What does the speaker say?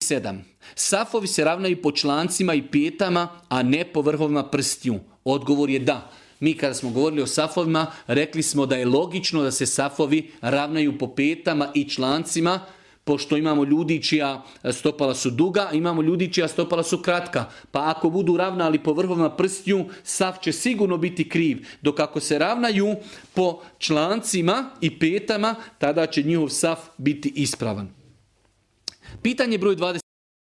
7. Safovi se ravnaju po člancima i petama, a ne po vrhovima prstiju. Odgovor je da. Mi kada smo govorili o safovima, rekli smo da je logično da se safovi ravnaju po petama i člancima, pošto imamo ljudi čija stopala su duga, imamo ljudi čija stopala su kratka. Pa ako budu ravnali po vrhovima prstiju, saf će sigurno biti kriv. Dok ako se ravnaju po člancima i petama, tada će njihov saf biti ispravan. Pitanje broj 20.